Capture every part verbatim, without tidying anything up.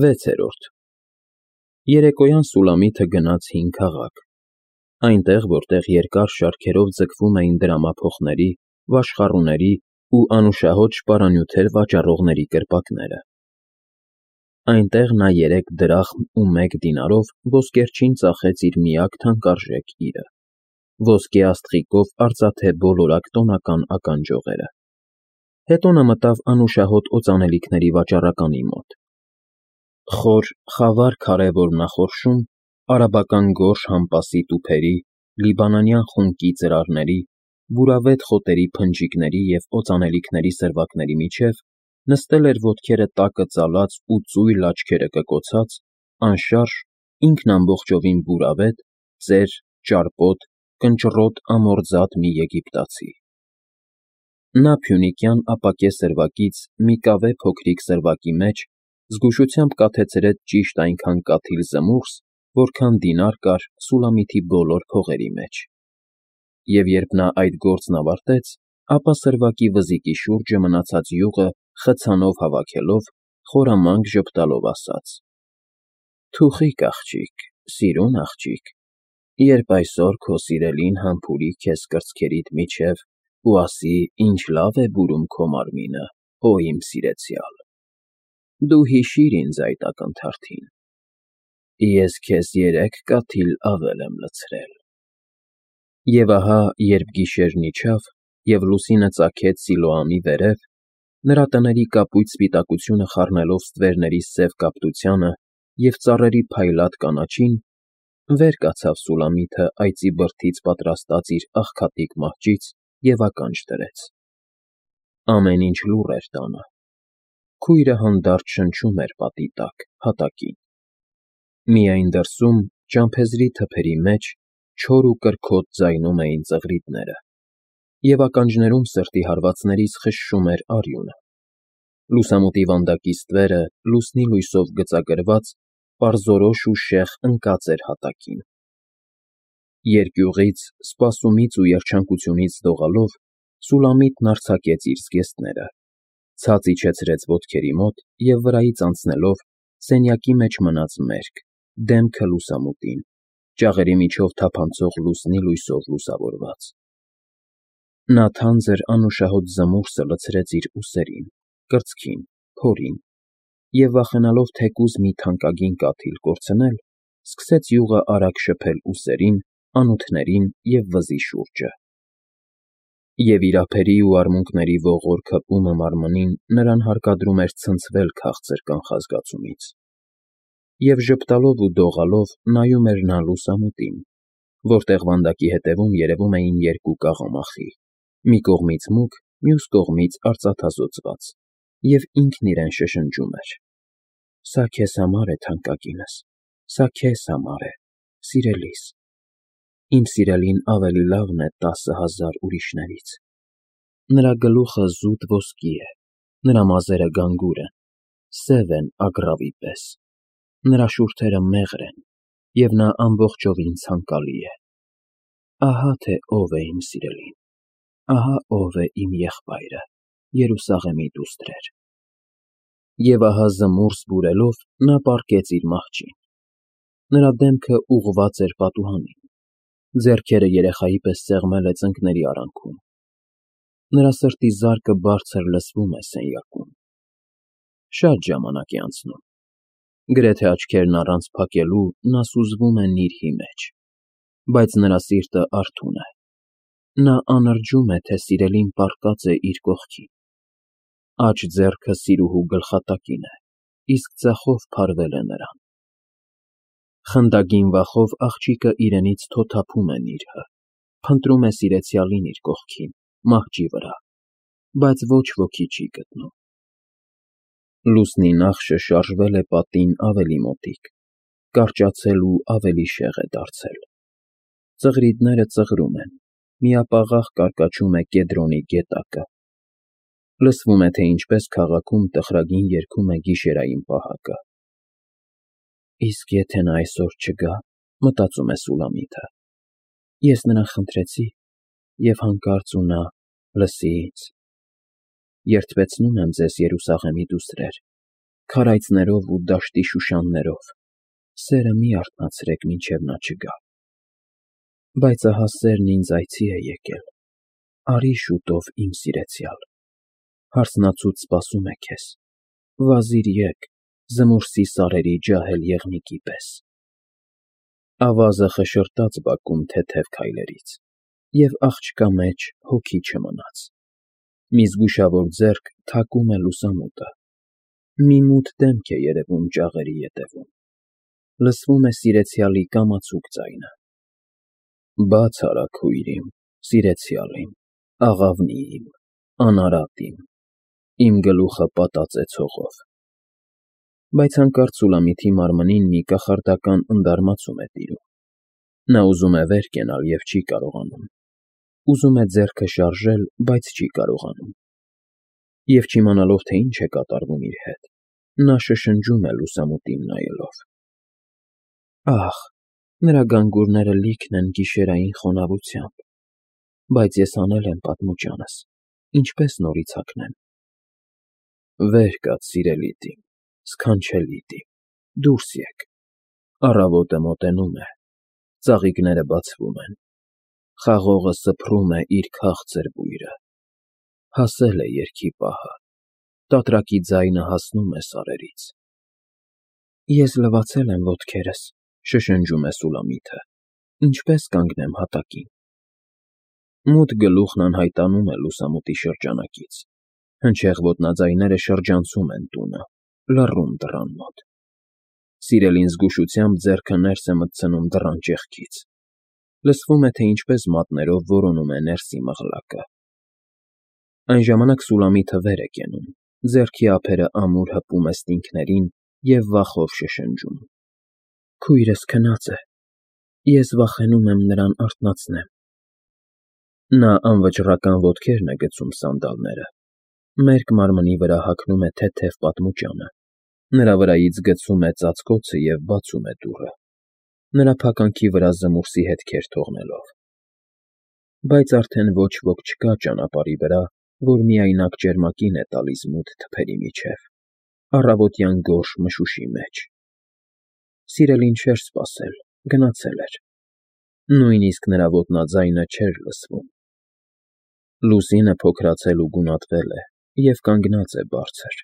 Վեցերորդ Երեկոյան Սուլամիթը գնաց հին քաղաք, այնտեղ, որտեղ երկար շարքերով ձգվում էին դրամափոխների, վաշխառուների ու անուշահոտ շպարանյութեր վաճառողների կրպակները. Այնտեղ նա երեք դրախմ ու մեկ դինարով ոսկերչին ծախեց իր միակ թանկարժեք իրը՝ ոսկե աստղիկով արծաթե բոլորակ տոնական ականջողերը, հետո նա մտավ անուշահոտ օծանելիքների վաճառականի մոտ. խոր, խավար քարե որմնախորշում, արաբական գորշ համպասի տուփերի, լիբանանյան խունկի ծրարների, բուրավետ խոտերի փնջիկների և օծանելիքների սրվակների միջև նստել էր ոտքերը տակը ծալած ու ծույլ աչքերը կկոցած, անշարժ, ինքն ամբողջովին բուրավետ, ծեր, ճարպոտ, կնճռոտ ամորձատ մի եգիպտացի. Նա փյունիկյան ապակե սրվակից մի կավե փոքրիկ սրվակի մեջ զգուշությամբ կաթեցրեց ճիշտ այնքան կաթիլ զմուռս, որքան դինար կար Սուլամիթի բոլոր փողերի մեջ, և երբ նա այդ գործն ավարտեց, ապա սրվակի վզիկի շուրջը մնացած յուղը խցանով հավաքելով, խորամանկ ժպտալով ասաց. «Թուխիկ աղջիկ, սիրուն աղջիկ, երբ այսօր քո սիրելին համբուրի քեզ կրծքերիդ միջև ու ասի. «Ինչ լավ է բուրում քո մարմինը, օ իմ սիրեցյալ», դու հիշիր ինձ այդ ակնթարթին. ես քեզ երեք կաթիլ ավել եմ լցրել»։ Եվ ահա, երբ գիշերն իջավ, և լուսինը ծագեց Սիլոամի վերև, նրա տների կապույտ սպիտակությունը խառնելով ստվերների սև կապտությանը և ծառերի փայլատ կանաչին, վեր կացավ Սուլամիթը այծի բրդից պատրաստած իր աղքատիկ մահճից և ականջ դրեց. ամեն ինչ լուռ էր տանը, քույրը հանդարտ շնչում էր պատի տակ, հատակին, միայն դրսում, ճամփեզրի թփերի մեջ, չոր ու կրքոտ ձայնում էին ծղրիդները, և ականջներում սրտի հարվածներից խշշում էր արյունը, լուսամուտի վանդակի ստվերը լուսնի լույսով գծագրված, պարզորոշ ու շեղ ընկած էր հատակին, երկյուղից, սպասումից ու երջանկությունից դողալով, Սուլամիթն արձակեց իր զգեստները, ցած իջեցրեց ոտքերի մոտ և վրայից անցնելով, սենյակի մեջ մնաց մերկ, դեմքը լուսամուտին, ճաղերի միջով թափանցող լուսնի լույսով լուսավորված. նա թանձր անուշահոտ զմուռսը լցրեց իր ուսերին, կրծքին, փորին և, վախենալով թեկուզ մի թանկագին կաթիլ կորցնել, սկսեց յուղը արագ շփել ուսերին, անոթներին և վզի շուրջը, և իր ափերի ու արմունկների ողոր քպումը մարմնին նրան հարկադրում էր ցնցվել քաղցր կանխազգացումից, և ժպտալով ու դողալով նայում էր նա լուսամուտին, որտեղ վանդակի ետևում երևում էին երկու կաղամախի, մի կողմից մուգ, մյուս կողմից արծաթազօծված, և ինքն իրեն շշնջում էր. «Սա քեզ համար է, թանկագինս, սա քեզ համար է, սիրելիս, իմ սիրելին ավելի լավն է տասը հազար ուրիշներից, նրա գլուխը զուտ ոսկի է, նրա մազերը գանգուր են, սև են ագռավի պես, նրա շուրթերը մեղր են, և նա ամբողջովին ցանկալի է, ահա թե ով է իմ սիրելին, ահա ով է իմ եղբայրը, Երուսաղեմի դուստրեր»։ Եվ ահա զմուռս բուրելով նա պառկեց իր մահճին, նրա դեմքը ուղղված էր պատուհանին, ձեռքերը երեխայի պես սեղմել է ծնկների արանքում, նրա սրտի զարկը բարձր լսվում է սենյակում, շատ ժամանակ է անցնում, գրեթե աչքերն առանց փակելու նա սուզվում է նիրհի մեջ, բայց նրա սիրտը արթուն է, նա անրջում է, թե սիրելին պառկած է իր կողքին, աջ ձեռքը սիրուհու գլխատակին է, իսկ ձախով փարվել է նրան, խնդագին վախով աղջիկը իրենից թոթափում է նիրհը, փնտրում է սիրեցյալին իր կողքին, մահճի վրա, բայց ոչ ոքի չի գտնում, լուսնի նախշը շարժվել է պատին ավելի մոտիկ, կարճացել ու ավելի շեղ է դարձել, ծղրիդները ծղրում են, միապաղաղ կարկաչում է Կեդրոնի գետակը, լսվում է, թե ինչպես քաղաքում տխրագին երգում է գիշերային պահակը։ «Իսկ եթե նա այսօր չգա, — մտածում է Սուլամիթը, — ես նրան խնդրեցի, և հանկարծ ու նա լսի ինձ. երդվեցնում եմ ձեզ, Երուսաղեմի դուստրեր, Քարայծներով ու դաշտի շուշաններով, սերը մի արթնացրեք, մինչև նա չգա։ Բայց ահա սերն ինձ այցի է եկել, արի շուտով, իմ սիրեցյալ, հարսնացուց սպասում է քեզ, վազիր եկ, զմուրսի սարերի ջահել եղնիկի պես։ Ավազը խշրտաց բակում թեթև քայլերից, և աղջկա մեջ հոգի չմնաց, մի զգուշավոր ձեռք թակում է լուսամուտը, մի մութ դեմք է երևում ճաղերի ետևում, լսվում է սիրեցյալի կամացուկ ձայնը. «Բաց արա, քույր իմ, սիրեցյալ իմ, աղավնի իմ, անարատ իմ, իմ գլուխը պատած է ցողով»։ Բայց հանկարծ Սուլամիթի մարմնին մի կախարդական ընդարմացում է տիրում։ Նա ուզում է վեր կենալ և չի կարողանում, ուզում է ձեռքը շարժել, բայց չի կարողանում։ Եվ չիմանալով, թե ինչ է կատարվում իր հետ, նա շշնջում է լուսամուտին նայելով. «Ախ, նրա գանգուրները լիքն են գիշերային խոնավությամբ, բայց ես հանել եմ պատմուճանս, ինչպե՞ս նորից հագնեմ»։ Վեր կաց, սիրելիդ իմ, սքանչելիդ իմ, դուրս եկ, առավոտը մոտենում է, ծաղիկները բացվում են, խաղողը սփռում է իր քաղցր բույրը, հասել է երգի պահը, տատրակի ձայնը հասնում է սարերից։ Ես լվացել եմ ոտքերս, շշնջում է Սուլամիթը, ինչպե՞ս կանգնեմ հատակին։ Մութ գլուխն անհայտանում է լուսամուտի շրջանակից, հնչեղ ոտնաձայները շրջանցում են տունը, լռում դռան մոտ։ Սիրելին զգուշությամբ ձեռքը ներս է մտցնում դռան ճեղքից, լսվում է, թե ինչպես մատներով որոնում է ներսի մղլակը։ Այն ժամանակ Սուլամիթը վեր է կենում, ձեռքի ափերը ամուր հպում է ստինքներին և վախով շշնջում. «Քույրս քնած է, ես վախենում եմ նրան արթնացնեմ»։ Նա անվճռական ոտքերն է գցում սանդալները, մերկ մարմնի վրա հագնում է թեթև պատմուճանը, նրա վրայից գցում է ծածկոցը և բացում է դուռը, նրա փականքի վրա զմուրսի հետքեր թողնելով։ Բայց արդեն ոչ ոք չկա ճանապարհի վրա, որ միայնակ ճերմակին է տալիս մութ թփերի միջև, առավոտյան գորշ մշուշի մեջ։ Սիրելին չէր սպասել, գնացել էր, նույնիսկ նրա ոտնաձայնը չէր լսվում։ Լուսինը փոքրացել ու գունատվել է և կանգնած է բարձր։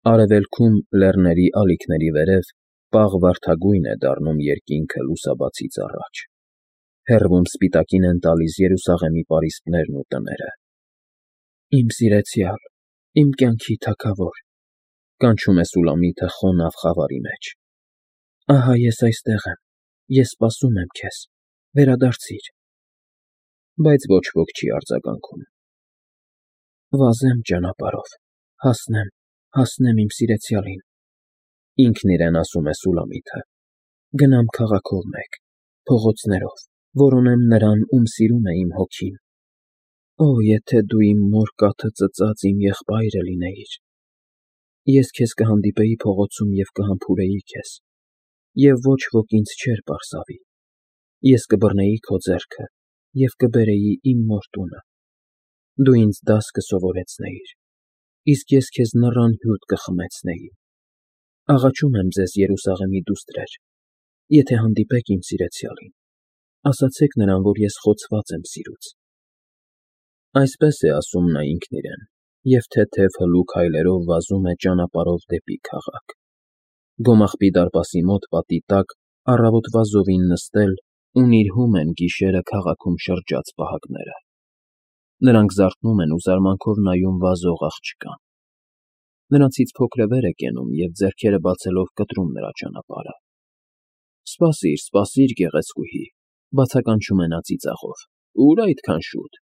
Արևելքում, լեռների ալիքների վերև, պաղ վարդագույն է դառնում երկինքը լուսաբացից առաջ, հեռվում սպիտակին են տալիս Երուսաղեմի պարիսպներն ու տները։ «Իմ սիրեցյալ, իմ կյանքի թագավոր», կանչում է Սուլամիթը խոնավ խավարի մեջ։ «Ահա ես այստեղ եմ, ես սպասում եմ քեզ, վերադարձիր»։ Բայց ոչ ոք չի արձագանքում։ «Վազեմ ճանապարհով, հասնեմ, հասնեմ իմ սիրեցյալին», ինքն իրեն ասում է Սուլամիթը, «գնամ քաղաքով մեկ, փողոցներով, որոնեմ նրան, ում սիրում է իմ հոգին։ Օ, եթե դու իմ մոր կաթը ծծած իմ եղբայրը լինեիր։ Ես քեզ կհանդիպեի փողոցում և կհամբուրեի քեզ, և ոչ ոք ինձ չէր պարզավի։ Ես կբռնեի քո ձեռքը և կբերեի իմ մոր տունը։ Դու ինձ դաս կսովորեցնեիր, իսկ ես քեզ նռան հյութ կխմեցնեի։ Աղաչում եմ ձեզ, Երուսաղեմի դուստրեր, եթե հանդիպեք իմ սիրեցյալին, ասացեք նրան, որ ես խոցված եմ սիրուց»։ Այսպես է ասում նա ինքն իրեն, և թեթև հլու քայլերով վազում է ճանապարհով դեպի քաղաք։ Գոմաղբի դարպասի մոտ պատի տակ առավոտվա զովին նստել ու նիրհում են գիշերը քաղաքում շրջած պահակները։ Նրանք զարթնում են ու զարմանքով նայում վազող աղջկան։ Նրանցից փոքրը վեր է կենում և ձեռքերը բացելով կտրում նրա ճանապարհը։ «Սպասիր, սպասիր, գեղեցկուհի», բացականչում է նա ծիծաղով, «Ո՞ւր այդքան շուտ։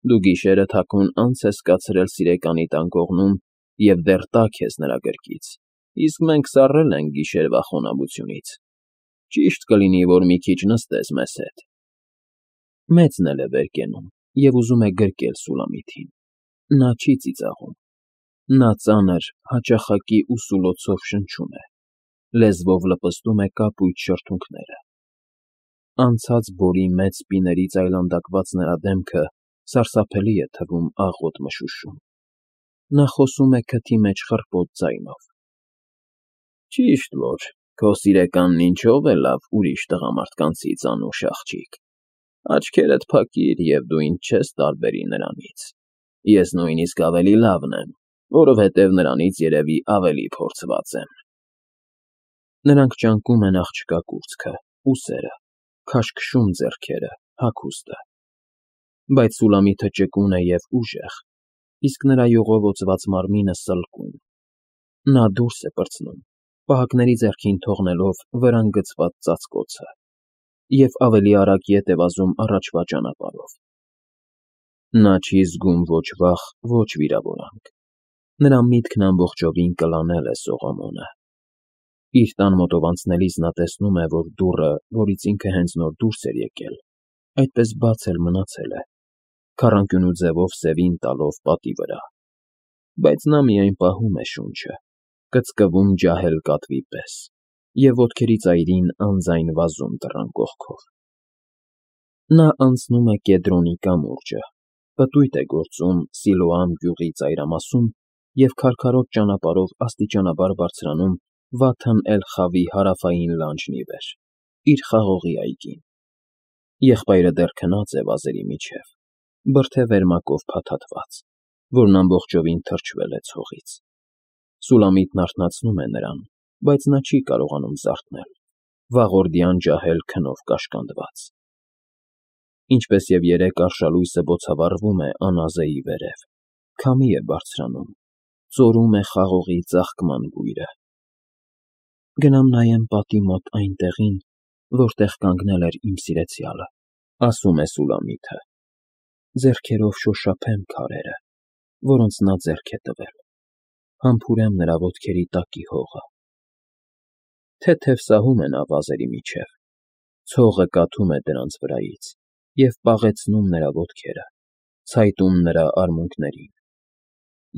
Դու գիշերը թաքուն անց ես կացրել սիրեկանիդ անկողնում և դեռ տաք ես նրա գրկից, իսկ մենք սառել ենք գիշերվա խոնավությունից։ Ճիշտ կլինի, որ մի քիչ նստես մեզ հետ»։ Մեծն էլ է վեր կենում և ուզում է գրկել Սուլամիթին։ Նա չի ծիծաղում։ Նա ծանր, հաճախակի ու սուլոցով շնչում է, լեզվով լպստում է կապույտ շրթունքները։ Անցած բորի մեծ սպիներից այլանդակված նրա դեմքը սարսափելի է թվում աղոտ մշուշում։ Նա խոսում է քթի մեջ խռպոտ ձայնով, Ճիշտ որ քո սիրեկանն ինչով է լավ ուրիշ տղամարդկանցից, անուշ աղջիկ, աչքերդ փակիր և դու ինձ չես տարբերի նրանից, ես նույնիսկ ավելի լավն եմ, որովհետև նրանից երևի ավելի փորձված եմ։ Նրանք ճանկում են աղջկա կուրծքը, ուսերը, քաշքշում ձեռքերը, հագուստը, բայց Սուլամիթը ճկուն է և ուժեղ, իսկ նրա յուղով օծված մարմինը սլկում։ Նա դուրս է պրծնում, պահակների ձեռքին թողնելով վրան գցված ծածկոցը, և ավելի արագ ետ է վազում առաջվա ճանապարհով։ Նա չի զգում ոչ վախ, ոչ վիրավորանք, նրա միտքն ամբողջովին կլանել է Սողոմոնը։ Իր տան մոտով անցնելիս նա տեսնում է, որ դուռը, որից ինքը հենց նոր դուրս էր եկել, այդպես բաց էլ մնացել է, քառանկյունու ձևով սևին տալով պատի վրա, բայց նա միայն պահում է շունչը, կծկվում ջահել կատվի պես և ոտքերի ծայրին անձայն վազում դռան կողքով։ Նա անցնում է Կեդրոնի կամուրջը, պտույտ է գործում Սիլոամ գյուղի ծայրամասում և քարքարոտ ճանապարհով աստիճանաբար բարձրանում Վաթն էլ֊Խավի հարավային լանջն ի վեր, իր խաղողի այգին։ Եղբայրը դեռ քնած է վազերի միջև, բրդե վերմակով փաթաթված, որն ամբողջովին թրջվել է ցողից։ Սուլամիտն արթնացնում է նրան, բայց նա չի կարողանում զարթնել, վաղորդյան ջահել քնով կաշկանդված։ Ինչպես և երեկ արշալույսը բոցավառվում է անազեի վերև, քամի է բարձրանում, ծորում է խաղողի ծաղկման բույրը։ Գնամ նայեմ պատի մոտ այն տեղին, որտեղ կանգնել էր իմ սիրեցյալը, ասում է Սուլամիթը, ձեռքերով շոշափեմ քարերը, որոնց նա ձեռք է տվել, համբուրեմ նրա ոտքերի տակի հողը։ Թեթև սահում է նա վազերի միջև, ցողը կաթում է դրանց վրայից և պաղեցնում նրա ոտքերը, ցայտում նրա արմունկներին։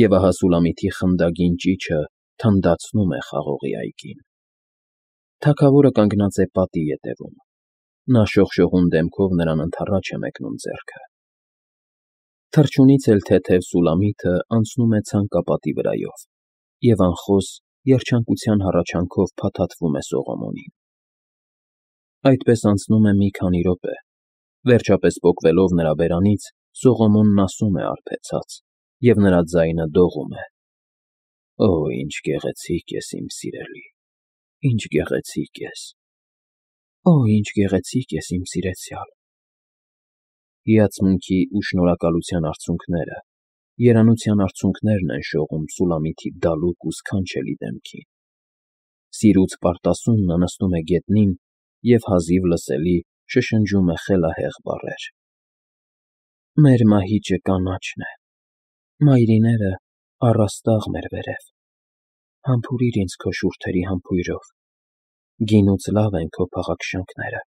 Եվ ահա Սուլամիթի խնդագին ճիչը թնդացնում է խաղողի այգին։ Թագավորը կանգնած է պատի ետևում, նա շողշողուն դեմքով նրան ընդառաջ է մեկնում ձեռքը։ Թռչունից էլ թեթև Սուլամիթը անցնում է ցանկապատի վրայով և անխոս երջանկության հառաչանքով փաթաթվում է Սողոմոնին։ Այդպես անցնում է մի քանի րոպե, վերջապես պոկվելով նրա բերանից, Սողոմոնն ասում է արբեցած, և նրա ձայնը դողում է. «Օ, ինչ գեղեցիկ ես, իմ սիրելի, ինչ գեղեցիկ ես, օ, ինչ գեղեցիկ ես, իմ սիրեցյալ»։ Հիացմունքի ու շնորհակալության արցունքները, երանության արցունքներն են շողում Սուլամիթի դալուկ ու սքանչելի դեմքին։ Սիրուց պարտասուն նա նստում է գետնին և հազիվ լսելի շշնջում է խելահեղ բառեր. «Մեր մահիճը կանաչն է, մայրիները առաստաղ մեր վերև, համբուրիր ինձ քո շուրթերի համբույրով, գինուց լավ են քո փաղաքշանքները»։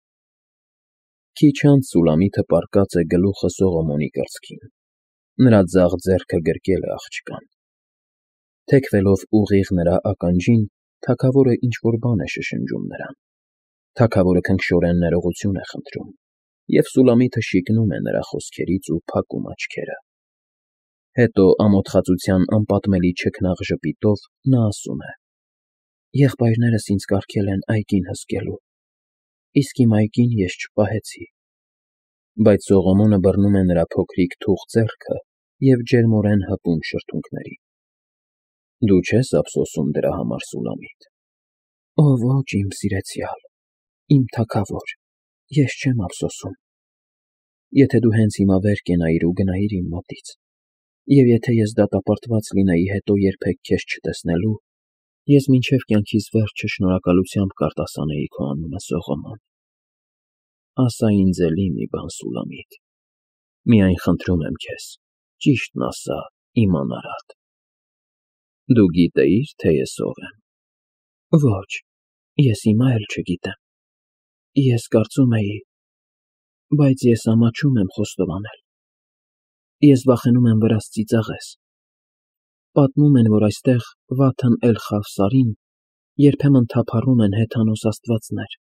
Քիչ անց Սուլամիթը պառկած է գլուխը Սողոմոնի կրծքին, նրա ձախ ձեռքը գրկել է աղջկան։ Թեքվելով ուղիղ նրա ականջին, թագավորը ինչ֊որ բան է շշնջում նրան։ Թագավորը քնքշորեն ներողություն է խնդրում, և Սուլամիթը շիկնում է նրա խոսքերից ու փակում աչքերը։ Հետո ամոթխածության անպատմելի չքնաղ ժպիտով նա ասում է. «Եղբայրներս ինձ կարգել են այգին հսկելու, իսկ իմ այգին ես չպահեցի»։ Բայց Սողոմոնը բռնում է նրա փոքրիկ թուխ ձեռքը և ջերմորեն հպում շրթունքներին։ «Դու չես ափսոսում դրա համար, Սուլամիթ»։ «Օ, ոչ, իմ սիրեցյալ, իմ թագավոր, ես չեմ ափսոսում։ Եթե դու հենց հիմա վեր կենայիր ու գնայիր իմ մոտից, և եթե ես դատապարտված լինեի հետո երբեք քեզ չտեսնելու, ես մինչև կյանքիս վերջը շնորհակալությամբ կարտասանեի քո անունը, Սողոմոն։ Ասա ինձ էլի մի բան, Սուլամիթ, միայն խնդրում եմ քեզ, ճիշտն ասա, իմանար ալ։ Դու գիտեի՞ր, թե ես ով եմ»։ «Ոչ, ես հիմա էլ չգիտեմ։ Ես կարծում էի, բայց ես ամաչում եմ խոստովանել։ Ես վախենում եմ վրաս ծիծաղես։ Պատմում են, որ այստեղ Վաթն էլ֊Խավ սարին երբեմն թափառում են հեթանոս աստվածներ։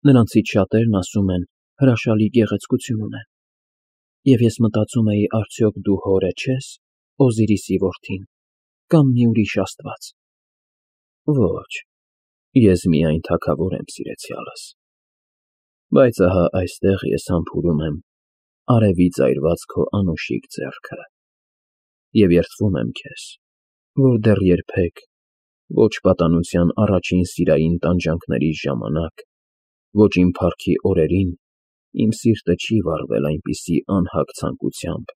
Նրանցից շատերն ասում են հրաշալի գեղեցկություն ունեն։ Եվ ես մտածում էի, արդյոք դու հորը չես, Օզիրիսի որդին, կամ մի ուրիշ աստված։ Ոչ, Ես միայն թագավոր եմ, սիրեցյալս, բայց ահա այստեղ ես համբուրում եմ արևից այրված քո անուշիկ ձեռքը և երդվում եմ քեզ, որ դեռ երբեք, ոչ պատանության առաջին սիրային տանջանքներիս ժամանակ, ոչ իմ փառքի օրերին իմ սիրտը չի վառվել այնպիսի անհագ ցանկությամբ,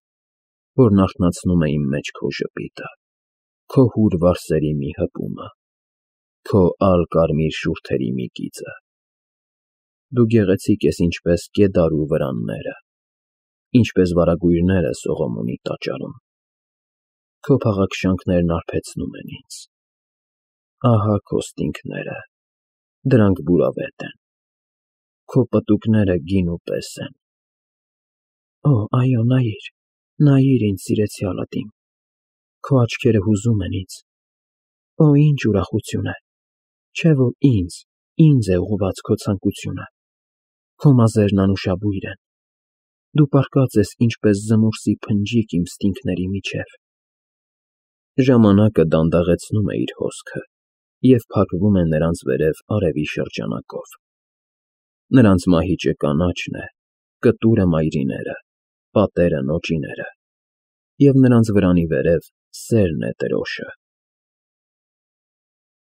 որն արթնացնում է իմ մեջ քո ժպիտը, քո հուր վարսերի մի հպումը, քո ալ֊կարմիր շուրթերի մի գիծը։ Դու գեղեցիկ ես ինչպես կեդարու վրանները, ինչպես վարագույրները Սողոմոնի տաճարում։ Քո փաղաքշանքներն արբեցնում են ինձ։ Ահա քո ստինգները, դրանք բուրավետ են, քո պտուկները գինու պես են։ Օ, այո, նայիր, նայիր ինձ, սիրեցյալդ իմ, քո աչքերը հուզում են ինձ։ Օ, ինչ ուրախություն է, չէ՞ որ ինձ, ինձ է ուղղված քո ցանկությունը, քո մազերն անուշաբույր են, դու պառկած ես ինչպես զմուրսի փնջիկ իմ ստինգների միջև։ Ժամանակը դանդաղեցնում է իր հոսքը և փակվում է նրանց վերև արևի շրջանակով։ Նրանց մահիճը կանաչն է, կտուրը մայրիները, պատերը նոճիները, և նրանց վրանի վերև սերն է դրոշը։